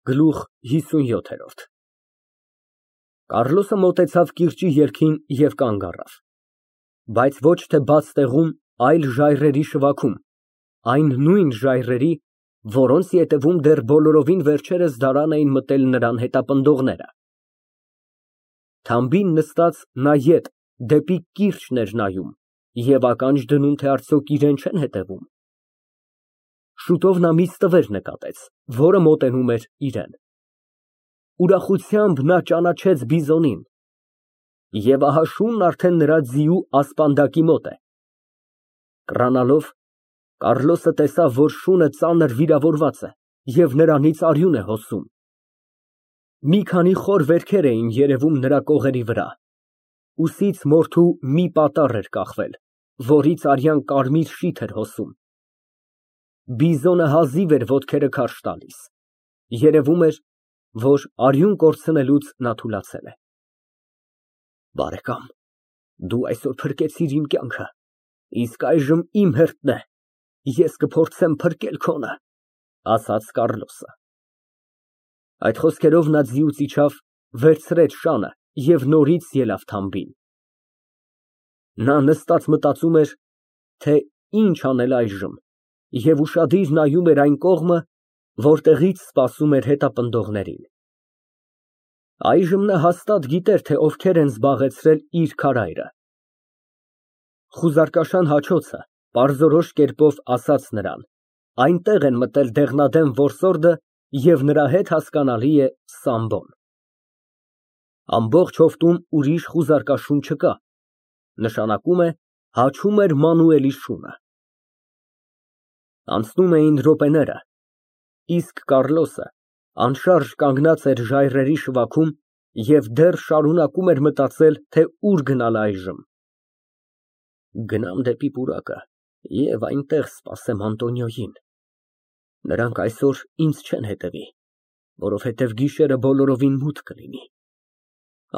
Գլուխ 57 Կառլոսը մոտեցավ կիրճի ելքին և կանգ առավ, բայց ոչ թե բաց տեղում, այլ ժայռերի շվաքում, այն նույն ժայռերի, որոնց ետևում դեռ բոլորովին վերջերս դարան էին մտել նրան հետապնդողները։ Թամբին նստած նա ետ դեպի կիրճն էր նայում և ականջ դնում, թե արդյոք իրան չեն հետևում։ Շուտով նա մի ստվեր նկատեց, որը մոտենում էր իրան։ Ուրախությամբ նա ճանաչեց բիզոնին, և ահա շունն արդեն նրա ձիու ասպանդակի մոտ է։ Կռանալով, Կառլոսը տեսավ, որ շունը ծանր վիրավորված է և նրանից արյուն է հոսում։ Մի քանի խոր վերքեր էին երևում նրա կողերի վրա, ուսից մորթու մի պատառ էր կախվել, որից արյան կարմիր շիթ էր հոսում։ Բիզոնը հազիվ էր ոտքերը քարշ տալիս, երևում էր, որ արյուն կորցնելուց նա թուլացել է։ Բարեկամ, դու այսօր փրկեցիր իմ կյանքը, իսկ այժմ իմ հերթն է, ես կփորձեմ փրկել քոնը, ասաց Կառլոսը։ Այդ խոսքերով նա ձիուց իջավ, վերցրեց շանը և նորից ելավ թամբին։ Նա նստած մտածում էր, թե ինչ անել այժմ, և ուշադիր նայում էր այն կողմը, որտեղից սպասում էր հետապնդողներին։ Այժմ նա հաստատ գիտեր, թե ովքեր են զբաղեցրել իր քարայրը։ Խուզարկաշան հաչոցը պարզորոշ կերպով ասաց նրան. այնտեղ են մտել դեղնադեմ որսորդը և նրա հետ հասկանալի է Սամբոն։ Ամբողջ հովտում ուրիշ խուզարկաշուն չկա, նշանակում է հաչում էր Մանուելի շունը։ Անցնում էին րոպեները, իսկ Կառլոսը անշարժ կանգնած էր ժայռերի շվաքում և դեռ շարունակում էր մտածել, թե ուր գնալ այժմ։ Գնամ դեպի պուրակը և այնտեղ սպասեմ Անտոնիոյին։ Նրանք այսօր ինձ չեն հետևի, որովհետև գիշերը բոլորովին մութ կլինի։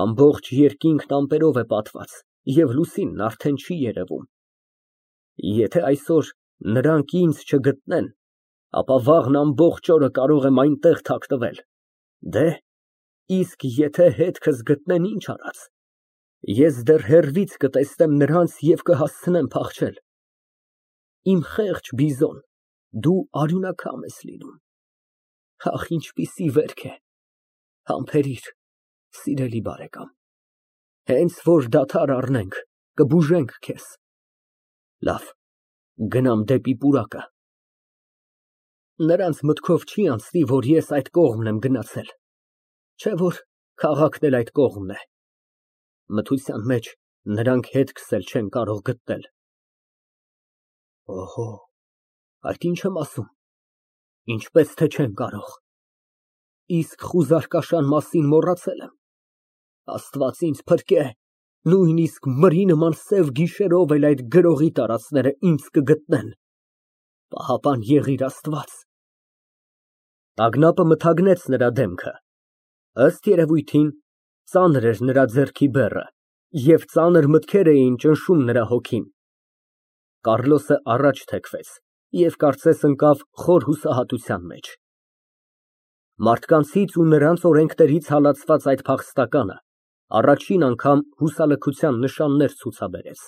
Ամբողջ երկինքն ամպերով է պատված և լուսինն արդեն չի երևում։ Եթե այսօր նրանք ինձ չգտնեն, ապա վաղն ամբողջ օրը կարող եմ այնտեղ թաքնվել։ Դե, իսկ եթե հետքս գտնեն, ինչ արած։ Ես դեռ հեռվից կտեսնեմ նրանց և կհասցնեմ փախչել։ Իմ խեղճ բիզոն, դու արյունակամ ես լինում։ Ախ, ինչպիսի վերք է։ Համբերիր, սիրելի բարեկամ, հենց որ դադար առնենք, կբուժենք քեզ։ Լավ, գնամ դեպի պուրակը։ Նրանց մտքով չի անցնի, որ ես այդ կողմն եմ գնացել, չէ՞ որ քաղաքն էլ այդ կողմն է։ Մթության մեջ նրանք հետքս էլ չեն կարող գտնել։ Օհո, այդ ինչ եմ ասում, ինչպես թե չեն կարող։ Իսկ խուզարկաշան մասին մոռացել եմ։ Աստված ինձ փրկե, նույնիսկ մրի նման սև գիշերով էլ այդ գրողի տարածքները ինձ կգտնեն։ Պահապան եղիր Աստված։ Տագնապը մթագնեց նրա դեմքը, ըստ երևույթին, ծանր էր նրա ձեռքի բեռը, և ծանր մտքեր էին ճնշում նրա հոգին։ Կառլոսը առաջ թեքվեց և կարծես ընկավ խոր հուսահատության մեջ։ Մարդկանցից ու նրանց օրենքներից հալածված այդ փախստականը առաջին անգամ հուսալքության նշաններ ցուցաբերեց։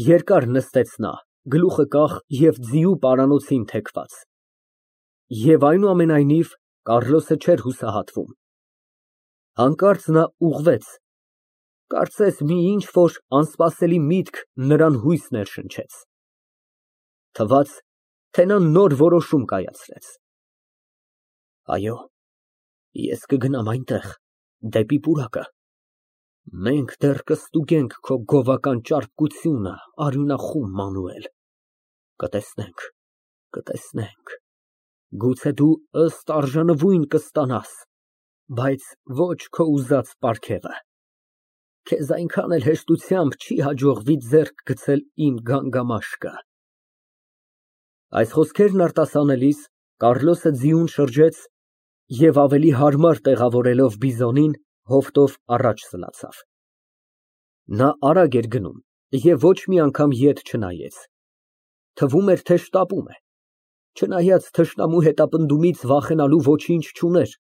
Երկար նստեց նա, գլուխը կախ և ձիու պարանոցին թեքված։ Եվ այնուամենայնիվ, Կառլոսը չէր հուսահատվում։ Հանկարծ նա ուղղվեց, կարծես մի ինչ֊որ անսպասելի միտք նրան հույս ներշնչեց։ Թվաց, թե նա նոր որոշում կայացրեց։ Այո, ես կգնամ այնտեղ, դեպի պուրակը։ Մենք դեռ կստուգենք քո գովական ճարպկությունը, արյունախում Մանուել։ Կտեսնենք, կտեսնենք, գուցե դու ըստ արժանվույն կստանաս, բայց ոչ քո ուզած պարգևը։ Քեզ այնքան էլ հեշտությամբ չի հաջողվի ձեռք գցել իմ գանգամաշկը։ Այս խոսքերն արտասանելիս Կառլոսը ձիուն շրջեց և ավելի հարմար տեղավորելով բիզոնին, հովտով առաջ սլացավ։ Նա արագ էր գնում և ոչ մի անգամ ետ չնայեց։ Թվում էր, թե շտապում է։ Չնայած թշնամու հետապնդումից վախենալու ոչինչ չուներ։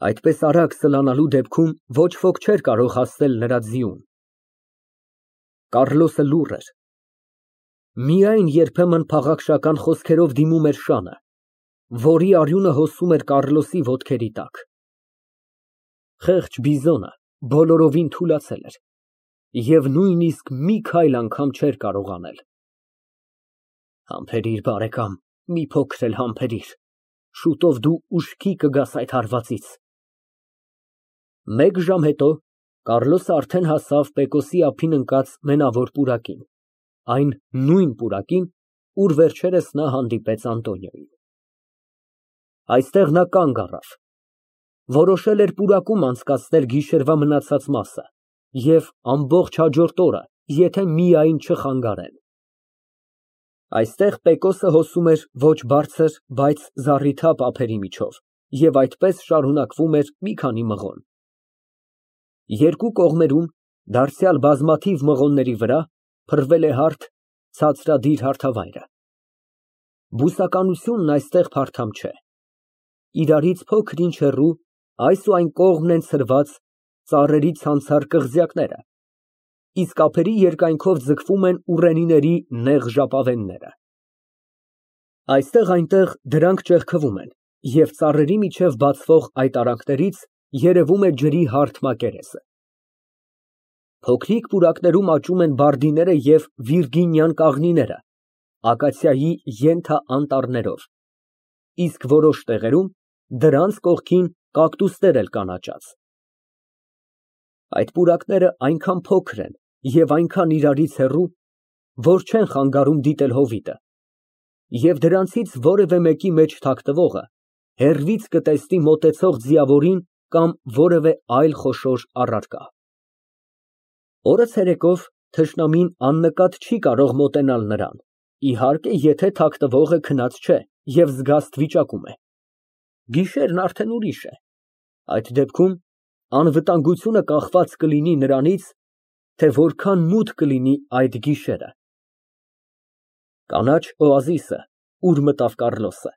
Այդպես արագ սլանալու դեպքում ոչ ոք չէր կարող հասնել նրա ձիուն։ Կառլոսը լուռ էր։ Միայն երբեմն փաղաքշական խոսքերով դիմում էր շանը, որի արյունը հոսում էր Կառլոսի ոտքերի տակ։ Խեղճ բիզոնը բոլորովին թուլացել էր և նույնիսկ մի քայլ անգամ չէր կարող անել։ Համբերիր, բարեկամ, մի փոքր էլ համբերիր, շուտով դու ուշքի կգաս այդ հարվածից։ Մեկ ժամ հետո Կառլոսը արդեն հասավ Պեկոսի ափին ընկած մենավոր պուրակին, այն նույն պուրակին, ուր վերջերս նա հանդիպեց Անտոնիոին։ Այստեղ նա կանգ առավ։ Որոշել էր պուրակում անցկացնել գիշերվա մնացած մասը և ամբողջ հաջորդ օրը, եթե միայն չխանգարեն։ Այստեղ Պեկոսը հոսում էր ոչ բարձր, բայց զառիթափ ափերի միջով և այդպես շարունակվում էր մի քանի մղոն։ Երկու կողմերում, դարձյալ բազմաթիվ մղոնների վրա, փռվել է հարթ, ցածրադիր հարթավայրը։ Բուսականությունն այստեղ փարթամ չէ։ Իրարից փոքր-ինչ հեռու այս ու այն կողմն են ցրված ծառերի ցանցառ կղզյակները, իսկ ափերի երկայնքով ձգվում են ուռենիների նեղ ժապավենները։ Այստեղ-այնտեղ դրանք ճեղքվում են, և ծառերի միջև բացվող այդ արանքներից երևում է ջրի հարթ մակերեսը։ Փոքրիկ պուրակներում աճում են բարդիները և վիրգինյան կաղնիները, ակացիայի ենթաանտառներով, իսկ որոշ տեղերում դրանց կողքին կակտուսներ էլ կան աճած։ Այդ պուրակները այնքան փոքր են և այնքան իրարից հեռու, որ չեն խանգարում դիտել հովիտը, և դրանցից որևէ մեկի մեջ թաքնվողը հեռվից կտեսնի մոտեցող ձիավորին կամ որևէ այլ խոշոր առարկա։ Օրը ցերեկով թշնամին աննկատ չի կարող մոտենալ նրան, իհարկե, եթե թաքնվողը քնած չէ և զգաստ վիճակում է։ Գիշերն արդեն ուրիշ է։ Այդ դեպքում անվտանգությունը կախված կլինի նրանից, թե որքան մութ կլինի այդ գիշերը։ Կանաչ օազիսը, ուր մտավ Կառլոսը,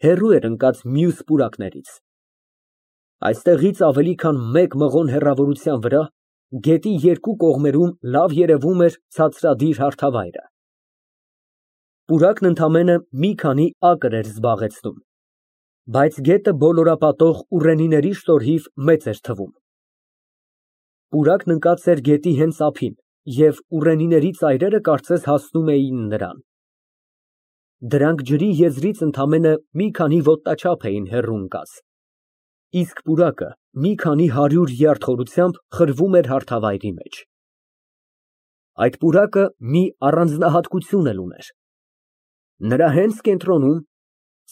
հեռու էր ընկած մյուս պուրակներից։ Այստեղից ավելի քան մեկ մղոն հեռավորության վրա գետի երկու կողմերում լավ երևում էր ցածրադիր հարթավայրը։ Պուրակն ընդամենը մի քանի ակր էր զբաղեցնում, բայց գետը բոլորապատող ուռենիների շնորհիվ մեծ էր թվում։ Պուրակն ընկած էր գետի հենց ափին, և ուռենիների ծայրերը կարծես հասնում էին նրան։ Դրանք ջրի եզրից ընդամենը մի քանի ոտնաչափ էին հեռու ընկած, իսկ պուրակը մի քանի 100 յարդ խորությամբ խրվում էր հարթավայրի մեջ։ Այդ պուրակը մի առանձնահատկություն էլ ուներ։ Նրա հենց կենտրոնում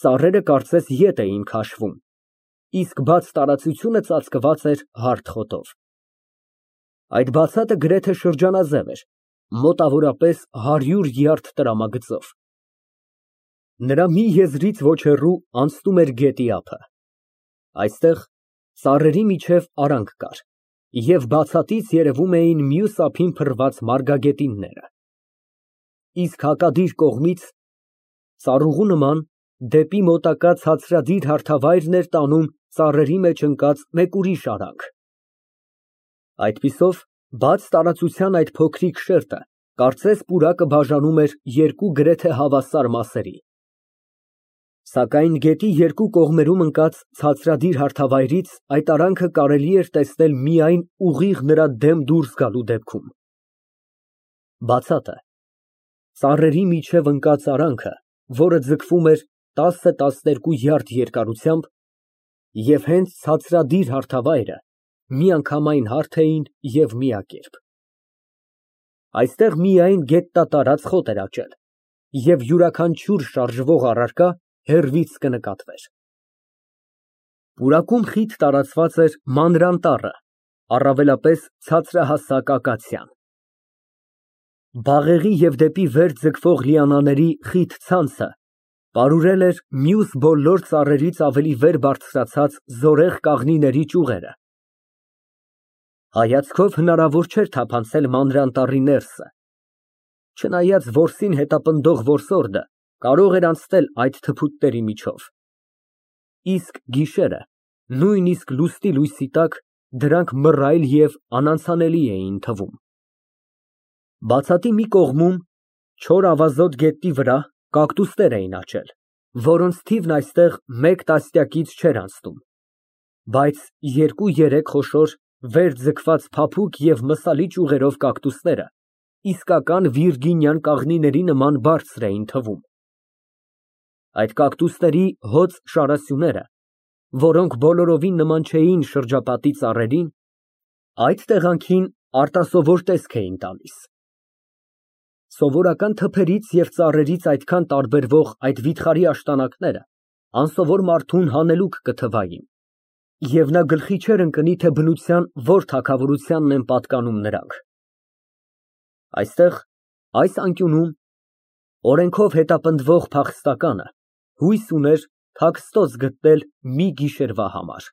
ծառերը կարծես ետ էին քաշվում, իսկ բաց տարածությունը ծածկված էր հարթ խոտով։ Այդ բացատը գրեթե շրջանաձև էր, մոտավորապես 100 յարդ տրամագծով։ Նրա մի եզրից ոչ հեռու անցնում էր գետի ափը։ Այստեղ ծառերի միջև արանք կար, և բացատից երևում էին մյուս ափին փռված մարգագետինները։ Իսկ հակադիր կողմից ծառուղու նման դեպի մոտակա ցածրադիր հարթավայրն էր տանում ծառերի մեջ ընկած մեկ ուրիշ արանք։ Այդպիսով, բաց տարածության այդ փոքրիկ շերտը կարծես պուրակը բաժանում էր երկու գրեթե հավասար մասերի։ Սակայն գետի երկու կողմերում ընկած ցածրադիր հարթավայրից այդ արանքը կարելի էր տեսնել միայն ուղիղ նրա դեմ դուրս գալու դեպքում։ Բացատը, ծառերի միջև ընկած արանքը, որը ձգվում էր 10-12 յարդ երկարությամբ, և հենց ցածրադիր հարթավայրը միանգամայն հարթ էին և միակերպ։ Այստեղ միայն գետնատարած խոտ էր աճել, և յուրաքանչյուր շարժվող առարկա հեռվից կնկատվեր։ Պուրակում խիտ տարածված էր մանրան տառը, առավելապես ցածրահասակ ակացիան։ Բաղեղի և դեպի վեր ձգվող լիանաների խիտ ցանցը պարուրել էր մյուս բոլոր ծառերից ավելի վեր բարձրացած զորեղ կաղնիների ճյուղերը։ Հայացքով հնարավոր չէր թափանցել մանրան տառի ներսը, չնայած որսին հետապնդող որսորդը կարող էր անցնել այդ թփուտների միջով, իսկ գիշերը, նույնիսկ լուսնի լույսի տակ, դրանք մռայլ և անանցանելի էին թվում։ Բացատի մի կողմում, չոր ավազոտ գետնի վրա կակտուսներ էին աճել, որոնց թիվն այստեղ մեկ տասնյակից չէր անցնում, բայց երկու֊երեք խոշոր, վեր ձգված փափուկ և մսալի ճյուղերով կակտուսները իսկական վիրգինյան կաղնիների նման բարձր էին թվում։ Այդ կակտուսների հոծ շարասյուները, որոնք բոլորովին նման չէին շրջապատի ծառերին, այդ տեղանքին արտասովոր տեսք էին տալիս։ Սովորական թփերից և ծառերից այդքան տարբերվող այդ վիթխարի աշտանակները անսովոր մարդուն հանելուկ կթվային, և նա գլխի չէր ընկնի, թե բնության որ թագավորությանն են պատկանում նրանք։ Այստեղ, այս անկյունում, օրենքով հետապնդվող փախստականը հույս ուներ թաքստոց գտնել մի գիշերվա համար։